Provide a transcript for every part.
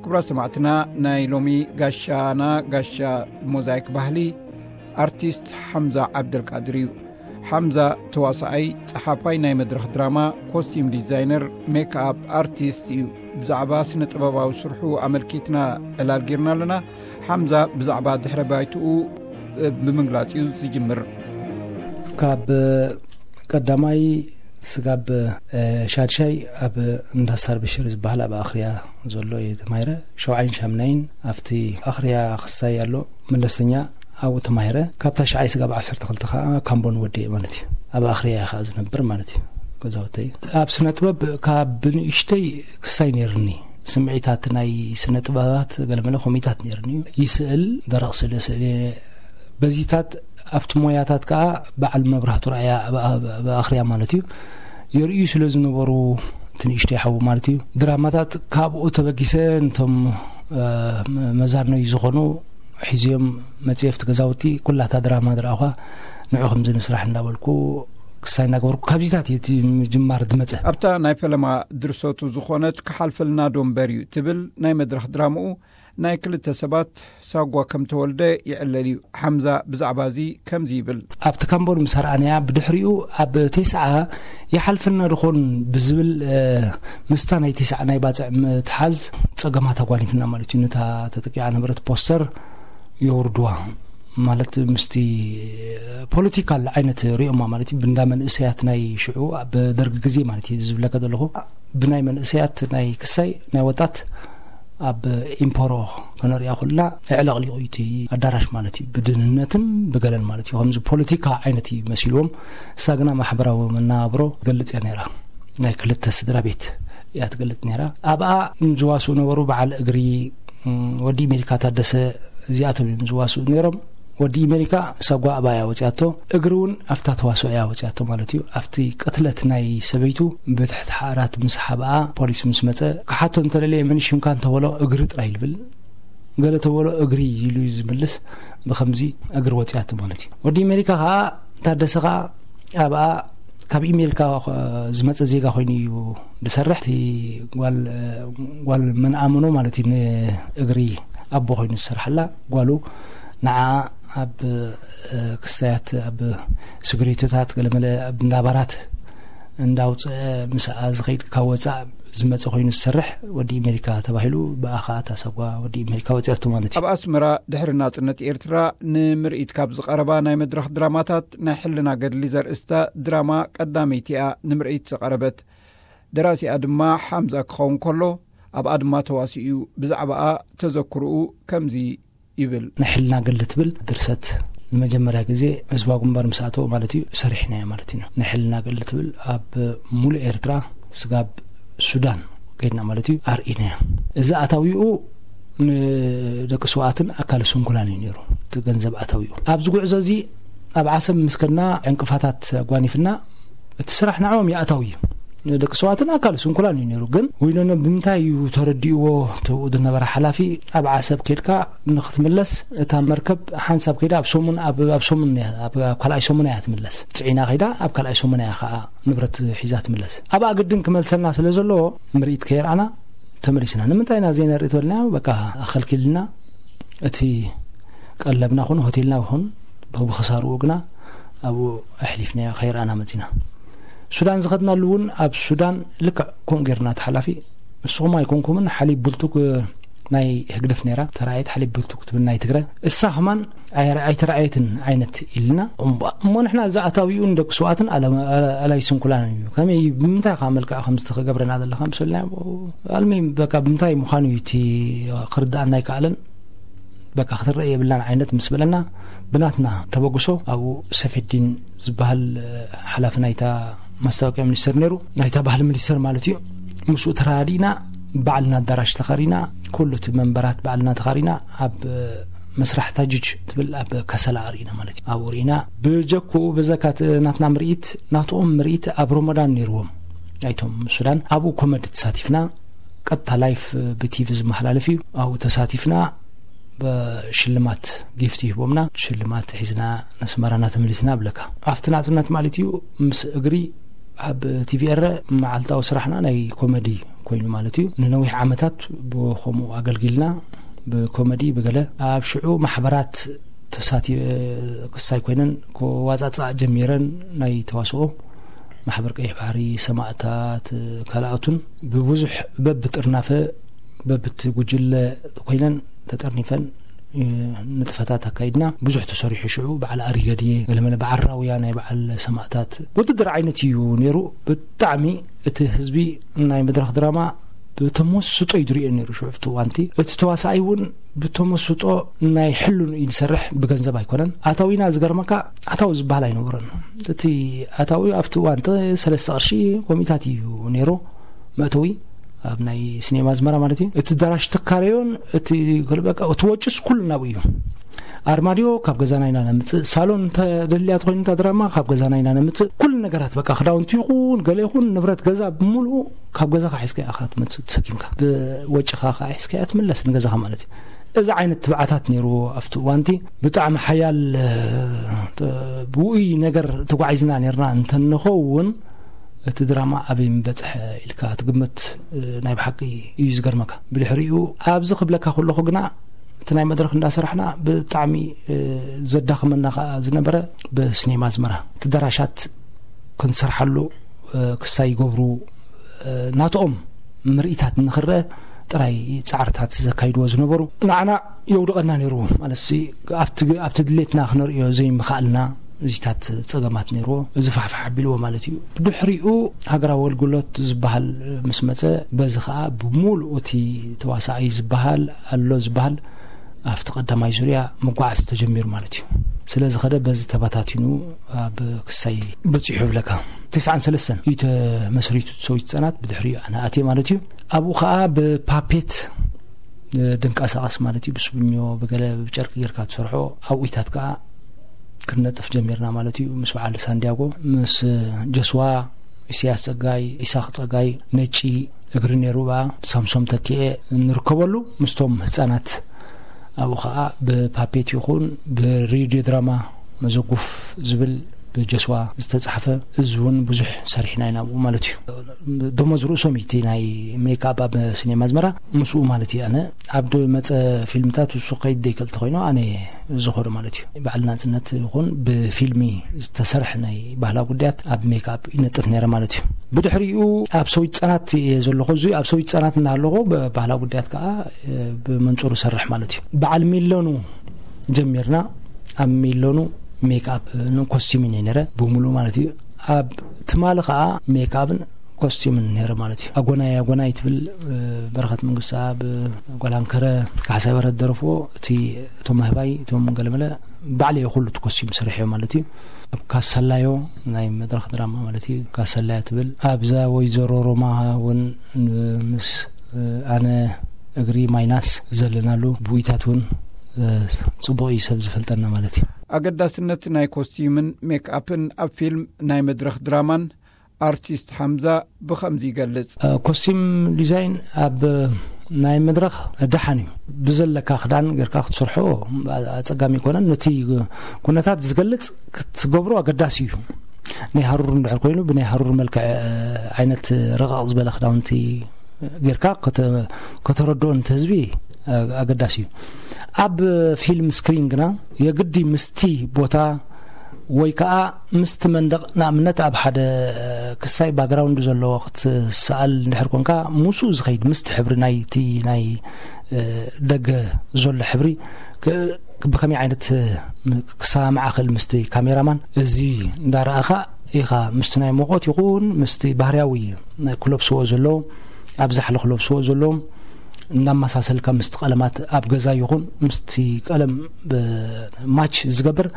ክቡራት ሰማዕትና፣ ናይ ሎሚ ጋሻና፣ ጋሻ ሞዛይክ ባህሊ፣ ኣርቲስት ሓምዛ ዓብደልቃድር እዩ። ሓምዛ ተዋሳኣይ፣ ጸሓፋይ ናይ መድረኽ ድራማ፣ ኮስቲም ዲዛይነር፣ ሜክኣፕ ኣርቲስት እዩ። ብዛዕባ ስነ ጥበባዊ ስርሑ ኣመልኪትና ዕላል ጌርና ኣለና። ሓምዛ ብዛዕባ ድሕረ ባይትኡ ብምግላጽ እዩ ዝጅምር። ካብ ቀዳማይ ስጋብ ሻድሻይ ኣብ እንዳ ሳር ብሽር ዝበሃል ኣብ ኣኽርያ ዘሎ እየ ተማሂረ። ሸውዓይን ሻምናይን ኣብቲ ኣኽርያ ክሳይ ኣሎ መለስተኛ ኣብኡ ተማሂረ። ካብ ታሽዓይ ስጋብ ዓሰርተ ክልተ ከዓ ካምቦን ወዲኤ ማለት እዩ። ኣብ ኣኽርያ እየ ከዓ ዝነብር ማለት እዩ። ገዛውተይ ኣብ ስነ ጥበብ ካብ ብንእሽተይ ክሳይ ነይርኒ። ስምዒታት ናይ ስነ ጥበባት ገለመለ ኮሚታት ነይርኒ እዩ። ይስእል፣ ደረቕ ስእለ ስእለ፣ በዚታት ኣብቲ ሞያታት ከዓ በዓል መብራህቱ ረኣያ ኣብ ኣኽርያ ማለት እዩ። የርእዩ ስለ ዝነበሩ እቲ ንእሽተይ ሓዉ ማለት እዩ። ድራማታት ካብኡ ተበጊሰ ነቶም መዛርነዩ ዝኾኑ ሒዝዮም መፅየፍቲ ገዛውቲ ኩላታ ድራማ ድረኣኳ ንዑ ከምዚ ንስራሕ እንዳበልኩ ክሳይ እናገበርኩ ካብዚታት እቲ ምጅማር ዝመፀ። ኣብታ ናይ ፈለማ ድርሰቱ ዝኾነት ክሓልፈልና ዶ እምበር እዩ ትብል ናይ መድረኽ ድራምኡ ናይ ክልተ ሰባት ሳጓ ከም ተወልደ ይዕለል እዩ። ሓምዛ ብዛዕባ እዚ ከምዚ ይብል። ኣብቲ ካምቦን ምስ ኣርኣናያ ብድሕሪኡ ኣብ ቴስዓ ይሓልፈልና ድኾን ብዝብል ምስታ ናይ ቴስዓ ናይ ባፅዕ ምትሓዝ ፀገማት ኣጓኒፍና ማለት እዩ። ነታ ተጠቂዓ ነበረት ፖስተር የውርድዋ ማለት ምስቲ ፖለቲካል ዓይነት ሪኦማ ማለት እዩ። ብንዳ መንእሰያት ናይ ሽዑ ኣብ ደርጊ ግዜ ማለት እዩ ዝብለካ ዘለኹ ብናይ መንእሰያት ናይ ክሳይ ናይ ወጣት ኣብ ኢምፖሮ ከነሪኣ ኩልና ኣዕለቕሊቑ እዩ እቲ ኣዳራሽ ማለት እዩ። ብድህንነትን ብገለን ማለት እዩ። ከምዚ ፖለቲካ ዓይነት እዩ መሲልዎም። እሳ ግና ማሕበራዊ መናብሮ ትገልጽ እያ ነይራ። ናይ ክልተ ስድራ ቤት እያ ትገልጽ ነይራ። ኣብኣ ዝዋስኡ ነበሩ በዓል እግሪ ወዲ ኣሜሪካ ታደሰ እዚኣቶም እዮም ዝዋስኡ ነይሮም። ወዲ ኣሜሪካ ሳጓ ኣብኣ እያ ወፂኣቶ። እግሪ እውን ኣብታ ተዋስኦ እያ ወፂኣቶ ማለት እዩ። ኣብቲ ቅትለት ናይ ሰበይቱ ብትሕቲ ሓራት ምስ ሓብኣ ፖሊስ ምስ መፀ ክሓቶ እንተለለየ መን ሽምካ እንተበሎ እግሪ ጥራይ ይብል። ገለ ተበሎ እግሪ ኢሉ እዩ ዝምልስ። ብከምዚ እግሪ ወፂኣቶ ማለት እዩ። ወዲ ኣሜሪካ ከዓ ታደሰ ከዓ ኣብኣ ካብ ኣሜሪካ ዝመፀ ዜጋ ኮይኑ እዩ ዝሰርሕ። እቲ ጓል ጓል መንኣምኖ ማለት እዩ ንእግሪ ኣቦ ኮይኑ ዝሰርሓላ ጓሉ ንዓ ኣብ ክስታያት ኣብ ስግሪቶታት ገለመለ ኣብ እንዳባራት እንዳውፅአ ምስኣ ዝኸይድ ካብ ወፃእ ዝመፀ ኮይኑ ዝሰርሕ ወዲ ኣሜሪካ ተባሂሉ ብኣኻ ታሰጓ ወዲ ኣሜሪካ ወፂኣቶ ማለት እዩ። ኣብ ኣስመራ ድሕሪ ናፅነት ኤርትራ ንምርኢት ካብ ዝቐረባ ናይ መድረኽ ድራማታት ናይ ሕልና ገድሊ ዘርእስታ ድራማ ቀዳመይቲ እያ ንምርኢት ዝቐረበት። ደራሲኣ ድማ ሓምዛ ክኸውን ከሎ ኣብኣ ድማ ተዋሲኡ እዩ። ብዛዕባኣ ተዘክርኡ ከምዚ ይብል። ናይ ሕልና ገድሊ ትብል ድርሰት ንመጀመርያ ግዜ ህዝባዊ ግንባር ምስ ኣተወ ማለት እዩ ሰሪሕናዮ ማለት እዩ። ናይ ሕልና ገድሊ ትብል ኣብ ሙሉእ ኤርትራ ስጋብ ሱዳን ከይድና ማለት እዩ ኣርኢናዮ። እዚ ኣታዊኡ ንደቂ ስውኣትን ኣካለ ስንኩላን እዩ ነይሩ። እቲ ገንዘብ ኣታዊኡ ኣብዚ ጉዕዞ እዚ ኣብ ዓሰብ ምስ ከድና ዕንቅፋታት ኣጓኒፍና እቲ ስራሕ ንዕኦም ይኣታዊ እዩ። ደቂ ሰባትን ኣካል ስንኩላን እዩ ነይሩ። ግን ወይኖኖ ብምንታይ እዩ ተረዲእዎ? ተብኡ ዝነበረ ሓላፊ ኣብ ዓሰብ ከድካ ንክትምለስ እታ መርከብ ሓንሳብ ከይዳ ኣብ ሰሙን ኣብ ሰሙን ኣብ ካልኣይ ሰሙን እያ ትምለስ። ፅዒና ከይዳ ኣብ ካልኣይ ሰሙን እያ ከዓ ንብረት ሒዛ ትምለስ። ኣብኣ ግድን ክመልሰልና ስለ ዘለዎ ምርኢት ከየርኣና ተመሊስና። ንምንታይ ኢና ዘይነርኢ ተበልና በቃ ኣኸልኪልና እቲ ቀለብና ኹን ሆቴልና ኹን ብክሳርኡ ግና ኣብኡ ኣሕሊፍናዮ ከይረኣና መፂና። ሱዳን ዝኸድናሉ እውን ኣብ ሱዳን ልክዕ ከምኡ ጌርና ተሓላፊ ንስኹም ኣይኮንኩምን ሓሊብ ብልቱግ ናይ ህግደፍ ነይራ ተራእየት ሓሊብ ብልቱግ ትብል ናይ ትግረ እሳ ከማን ኣይተረኣየትን ዓይነት ኢልና እሞ ንሕና እዚ ኣታዊኡ ንደቂ ስውኣትን ኣላይ ስንኩላን እዩ ከመይ ብምንታይ ከዓ መልክዕ ከምዚ ክገብረና ዘለካ ምስ በልና ኣልሚ በቃ ብምንታይ ምዃኑ እዩ እቲ ክርዳእና ኣይከኣለን። በቃ ክትረአ የብላን ዓይነት ምስ በለና ብናትና ተበግሶ ኣብኡ ሰፌዲን ዝበሃል ሓላፊ ናይታ ማስታወቂያ ሚኒስተር ነይሩ ናይታ ባህሊ ሚኒስተር ማለት እዩ። ምስኡ ተረዳዲእና ባዕልና ኣዳራሽ ተኻሪና ኩሉ እቲ መንበራት ባዕልና ተኻሪና ኣብ መስራሕ ታጅጅ ትብል ኣብ ከሰላ ኣርኢና ማለት እዩ። ኣብኡ ርኢና ብጀክኡ ብዘካት ናትና ምርኢት ናትኦም ምርኢት ኣብ ሮሞዳን ነይርዎም ናይቶም ሱዳን ኣብኡ ኮመዲ ተሳቲፍና ቀጥታ ላይፍ ብቲቪ ዝመሓላለፍ እዩ። ኣብኡ ተሳቲፍና ብሽልማት ጊፍት ይህቦምና ሽልማት ሒዝና ነስመራና ተመሊስና ብለካ ኣብቲ ናፅነት ማለት እዩ። ምስ እግሪ ኣብ ቲቪ ኤረ መዓልታዊ ስራሕና ናይ ኮመዲ ኮይኑ ማለት እዩ። ንነዊሕ ዓመታት ብኸምኡ ኣገልጊልና፣ ብኮመዲ ብገለ ኣብ ሽዑ ማሕበራት ተሳቲ ክሳይ ኮይነን ክዋጻጻ ጀሚረን፣ ናይ ተዋስኦ ማሕበር ቀይሕ ባሕሪ፣ ሰማእታት፣ ካልኣቱን ብብዙሕ በብጥርናፈ በብቲ ጉጅለ ኮይነን ተጠርኒፈን ንጥፈታት ኣካይድና። ብዙሕ ተሰሪሑ ሽዑ በዓል ኣሪገድየ ገለመለ በዓል ራውያ ናይ በዓል ሰማእታት ውድድር ዓይነት እዩ ነይሩ። ብጣዕሚ እቲ ህዝቢ ናይ መድረኽ ድራማ ብተመስጦ እዩ ዝሪኦ ነይሩ። ሽዑ ኣብቲ እዋንቲ እቲ ተዋሳኣይ እውን ብተመስጦ ናይ ሕሉን እዩ ዝሰርሕ፣ ብገንዘብ ኣይኮነን ኣታዊና። ዝገርመካ ኣታዊ ዝበሃል ኣይነበረን። እቲ ኣታዊ ኣብቲ እዋን ጥ-፣ ሰለስተ ቅርሺ ኮሚታት እዩ ነይሩ መእተዊ ኣብ ናይ ሲኔማ ኣዝመራ ማለት እዩ። እቲ ኣዳራሽ ትካረዮን እቲ በቃ እቲ ወጭስ ኩሉ ናብኡ እዩ። ኣርማድዮ ካብ ገዛና ኢና ነምጽእ፣ ሳሎን እንተ ደልያ ተኮይኑ እታ ድራማ ካብ ገዛና ኢና ነምጽእ። ኩሉ ነገራት በቃ ክዳውንቲ ይኹን ገለ ይኹን ንብረት ገዛ ብምሉኡ ካብ ገዛኻ ሒዝካ ኢኻ ትመጽእ ተሰኪምካ። ብወጭኻ ከዓ ሒዝካ እያ ትምለስ ንገዛኻ ማለት እዩ። እዚ ዓይነት ትብዓታት ነይርዎ ኣብቲ እዋንቲ። ብጣዕሚ ሓያል፣ እ፣ ብውኡይ ነገር ተጓዒዝና ነይርና እንተንኸውን እቲ ድራማ ኣበይ ምበጽሐ ኢልካ ትግምት፣ እ፣ ናይ ብሓቂ እዩ ዝገርመካ። ብድሕሪኡ ኣብዚ ክብለካ ከለኹ ግና እቲ ናይ መድረኽ እንዳሰራሕና ብጣዕሚ፣ እ፣ ዘዳኽመና ከዓ ዝነበረ ብሲኔማ ኣዝመራ እቲ ኣዳራሻት ክንሰርሓሉ፣ እ፣ ክሳይ ይገብሩ፣ እ፣ ናትኦም ምርኢታት ንኽረአ ጥራይ ጻዕርታት ዘካይድዎ ዝነበሩ ንዓና የውድቐና ነይሩ። ማለት ሲ ኣብቲ፣ ኣብቲ ድሌትና ክነርእዮ ዘይምኽኣልና እዚታት ጸገማት ነይርዎ። እዚ ፋሕፋሕ ኣቢልዎ ማለት እዩ። ብድሕሪኡ ሃገራዊ ኣገልግሎት ዝበሃል ምስ መጸ፣ በዚ ኸኣ ብምሉኡ እቲ ተዋሳኣይ ዝበሃል ኣሎ ዝበሃል ኣብቲ ቀዳማይ ዙርያ መጓዓዝ ተጀሚሩ ማለት እዩ። ስለ ዝኸደ በዚ ተባታቲኑ ኣብ ክሳይ በጺሑ ይብለካ። ተስዓን ሰለስተን እዩ ተመስሪቱ ሰዊት ህጻናት፣ ብድሕሪኡ ኣነ ኣትየ ማለት እዩ። ኣብኡ ኸኣ ብፓፔት፣ እ፣ ድንቃሳቐስ ማለት እዩ፣ ብስቡኞ ብገለ ብጨርቂ ጌርካ ትሰርሖ ኣብኡታት ከኣ ክንነጥፍ ጀሚርና ማለት እዩ። ምስ በዓል ሳንዲያጎ፣ ምስ ጀስዋ፣ ኢሳያስ ጸጋይ፣ ኢሳቕ ጸጋይ፣ ነጪ እግሪ ነይሩ፣ ብኣ ሳምሶም ተኪኤ ንርከበሉ ምስቶም ህጻናት። ኣብኡ ኸኣ ብፓፔት ይኹን ብሬድዮ ድራማ መዘጉፍ ዝብል ብጀስዋ ዝተጻሕፈ፣ እዚ እውን ብዙሕ ሰሪሕና ኢና ኣብኡ ማለት እዩ። ደሞዝ ርእሶም እዩ እቲ ናይ ሜክኣፕ ኣብ ሲኔማ ኣዝመራ፣ ምስኡ ማለት እዩ። ኣነ ኣብ መጸ ፊልምታት እሱ ከይድ ዘይከል ተኮይኑ ኣነ ዝኸዶ ማለት እዩ። በዓል ናጽነት ይኹን ብፊልሚ ዝተሰርሐ ናይ ባህላ ጉዳያት ኣብ ሜክኣፕ ይነጥፍ ነይረ ማለት እዩ። ብድሕሪኡ ኣብ ሰዊት ህጻናት እየ ዘለኹ። እዚ ኣብ ሰዊት ህጻናት እናሃለኹ ብባህላ ጉዳያት ከኣ፣ እ፣ ብመንጽሩ ሰርሕ ማለት እዩ። በዓል ሚለኑ ጀሚርና። ኣብ ሚለኑ ሜክኣፕ ን ኮስቲምን እየ ነይረ፣ ብምሉእ ማለት እዩ። ኣብ ትማሊ ከኣ ሜክኣፕን ኮስቲምን ነይረ ማለት እዩ። ኣጎናይ ኣጎናይ ትብል፣ እ፣ በረኸት መንግስቲ ኣብ ጓል ኣንከረ ካሕሳይ በረኸት ደረፍዎ፣ እቲ፣ እቶም ምህባይ፣ እቶም ገለመለ፣ ባዕለየ ኩሉ እቲ ኮስቲም ሰሪሐዮ ማለት እዩ። ኣብ ካሰላዮ ናይ መድረኽ ድራማ ማለት እዩ። ካሰላዮ ትብል ኣብዛ ወይዘሮ ሮማ እውን ምስ፣ እ፣ ኣነ እግሪ ማይናስ ዘለናሉ ብዊታት እውን፣ እ፣ ጽቡቕ እዩ ሰብ ዝፈልጠና ማለት እዩ። ኣገዳስነት ናይ ኮስቲምን ሜክኣፕን ኣብ ፊልም ናይ መድረኽ ድራማን ኣርቲስት ሓምዛ ብኸምዚ ይገልጽ። እ፣ ኮስቲም ዲዛይን ኣብ ናይ መድረኽ ደሓን እዩ። ብዘለካ ክዳን ጌርካ ክትሰርሖ ኣጸጋሚ ኣይኮነን። ነቲ ኩነታት ዝገልጽ ክትገብሮ ኣገዳሲ እዩ። ናይ ሃሩር እንድሕር ኮይኑ ብናይ ሃሩር መልክዕ፣ እ፣ ዓይነት ረቐቕ ዝበለ ክዳውንቲ ጌርካ ከተ-፣ ከተረድኦ ነቲ ህዝቢ፣ እ፣ ኣገዳሲ እዩ። ኣብ ፊልም ስክሪን ግና የግዲ ምስቲ ቦታ ወይ ከኣ ምስቲ መንደቕ፣ ንኣብነት ኣብ ሓደ ክሳይ ባክግራውንድ ዘለዎ ክትሰኣል እንድሕር ኮንካ፣ ምስኡ ዝኸይድ ምስቲ ሕብሪ ናይቲ ናይ፣ እ፣ ደገ ዘሎ ሕብሪ ክ-፣ ብኸመይ ዓይነት፣ እ፣ ክሰማማዕ ክእል ምስቲ ካሜራማን፣ እዚ እንዳረኣኻ ኢኻ ምስቲ ናይ ሙቐት ይኹን ምስቲ ባህርያዊ ክለብስዎ ዘለዎም፣ ኣብ ዛሕሊ ክለብስዎ ዘለዎም እናመሳሰልካ ምስቲ ቀለማት ኣብ ገዛ ይኹን ምስቲ ቀለም ብ-፣ ማች ዝገብር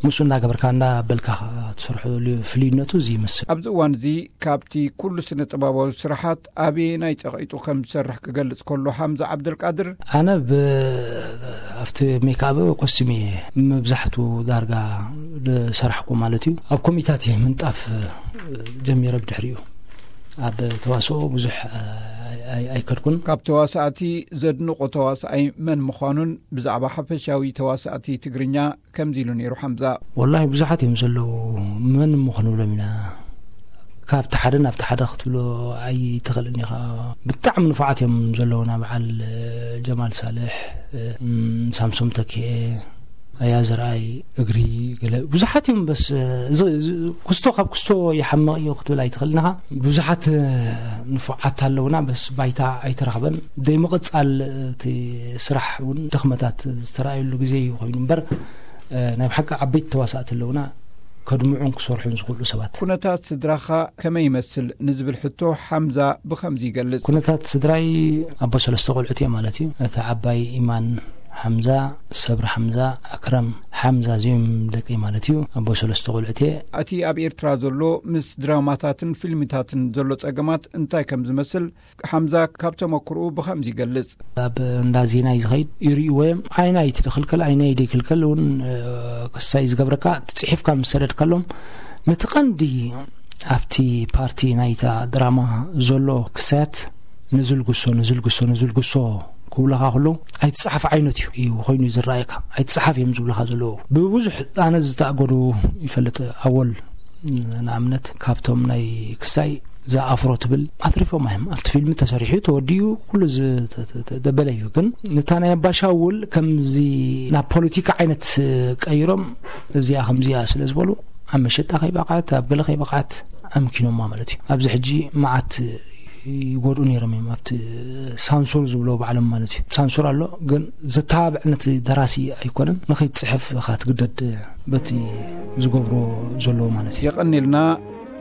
ምስኡ እናገበርካ እናበልካ ትሰርሖ ፍልይነቱ እዚ ይመስል። ኣብዚ እዋን እዚ ካብቲ ኩሉ ስነ ጥበባዊ ስራሓት ኣበየናይ ጸቒጡ ከም ዝሰርሕ ክገልጽ ከሎ ሓምዛ ዓብደልቃድር፣ ኣነ ብ-፣ ኣብቲ ሜክኣፕ ኮስቲም እየ መብዛሕቱ ዳርጋ ዝሰራሕኩ ማለት እዩ። ኣብ ኮሚታት እየ ምንጣፍ ጀሚረ ብድሕሪኡ። ኣብ ተዋስኦ ብዙሕ ኣይ-፣ ኣይ-፣ ኣይከድኩን። ካብ ተዋሳእቲ ዘድንቖ ተዋሳኣይ መን ምዃኑን ብዛዕባ ሓፈሻዊ ተዋሳእቲ ትግርኛ ከምዚ ኢሉ ነይሩ ሓምዛ። ወላሂ ብዙሓት እዮም ዘለዉ፣ መን እሞ ክንብሎም ኢና። ካብቲ ሓደ ናብቲ ሓደ ክትብሎ ኣይትኽእልን ኢኻ። ብጣዕሚ ንፉዓት እዮም ዘለውና፣ በዓል ጀማል ሳልሕ፣ እም፣ ሳምሶም ተኪኤ፣ ኣያ ዘርኣይ፣ እግሪ፣ ገለ ብዙሓት እዮም። በስ እዚ፣ እዚ ክስቶ ካብ ክስቶ ይሓምቕ እዩ ክትብል ኣይትኽእልን ኢኻ። ብዙሓት ንፉዓት ኣለውና፣ በስ ባይታ ኣይተረኽበን። ደይ ምቕጻል እቲ ስራሕ እውን ድኽመታት ዝተረኣየሉ ግዜ እዩ ኮይኑ እምበር፣ ናይ ብሓቂ ዓበይቲ ተዋሳእቲ ኣለውና፣ ከድምዑን ክሰርሑን ዝኽእሉ ሰባት። ኩነታት ስድራኻ ከመይ ይመስል ንዝብል ሕቶ ሓምዛ ብኸምዚ ይገልጽ። ኩነታት ስድራይ ኣቦ ሰለስተ ቆልዑት እየ ማለት እዩ። እቲ ዓባይ ኢማን ሓምዛ፣ ሰብሪ ሓምዛ፣ ኣክረም ሓምዛ፣ እዚኦም ደቂ ማለት እዩ። ኣቦ ሰለስተ ቆልዑት እየ። እቲ ኣብ ኤርትራ ዘሎ ምስ ድራማታትን ፊልምታትን ዘሎ ጸገማት እንታይ ከም ዝመስል ሓምዛ ካብ ተመክርኡ ብኸምዚ ይገልጽ። ኣብ እንዳ ዜና እዩ ዝኸይድ፣ ይርእይዎ እዮም። ኣይናይ ትደኽልከል፣ ኣይናይ ደይክልከል እውን፣ እ፣ ክሳይ ዝገብረካ፣ ጽሒፍካ ምስ ሰደድከሎም፣ ነቲ ቀንዲ ኣብቲ ፓርቲ ናይታ ድራማ ዘሎ ክሳያት ንዝልግሶ፣ ንዝልግሶ፣ ንዝልግሶ ክብለኻ ከለዉ፣ ኣይትጽሓፍ ዓይነት እዩ፣ እዩ ኮይኑ ዝረኣየካ። ኣይትጽሓፍ እዮም ዝብለኻ ዘለዉ። ብብዙሕ ኣነ ዝተኣገዱ ይፈልጥ። ኣወል ንኣብነት ካብቶም ናይ ክሳይ እዛ ኣፍሮ ትብል ኣትሪፎም እዮም። ኣብቲ ፊልም ተሰሪሑ፣ ተወዲኡ፣ ኩሉ ዝ-፣ ተ-፣ ተ-፣ ተ-፣ ደበለ እዩ። ግን ነታ ናይ ኣባሻውል ከምዚ ናብ ፖለቲካ ዓይነት ቀይሮም፣ እዚኣ ከምዚኣ ስለ ዝበሉ፣ ኣብ መሸጣ ከይበቕዐት፣ ኣብ ገለ ከይበቕዐት ኣምኪኖማ ማለት እዩ። ኣብዚ ሕጂ መዓት ይጎድኡ ነይሮም እዮም፣ ኣብቲ ሳንሱር ዝብሎ ባዕሎም ማለት እዩ። ሳንሱር ኣሎ፣ ግን ዘተባብዕ ነቲ ደራሲ ኣይኮነን። ንኸይትጽሕፍ ኢኻ ትግደድ፣ በቲ ዝገብሮ ዘለዎ ማለት እዩ። የቐንየልና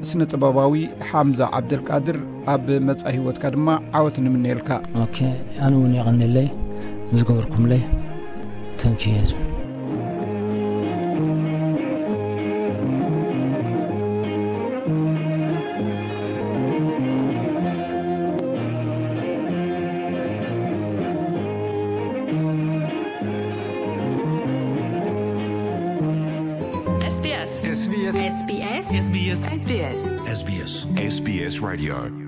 ስነ ጥበባዊ ሓምዛ ዓብደልቃድር፣ ኣብ መጻኢ ህይወትካ ድማ ዓወት ንምነየልካ። ኦኬ፣ ኣነ እውን የቐንየለይ ዝገበርኩምለይ። ተንኪ ህዝቢ። S B S. S B S. S B S. S B S. S B S. S B S. S B S Radio.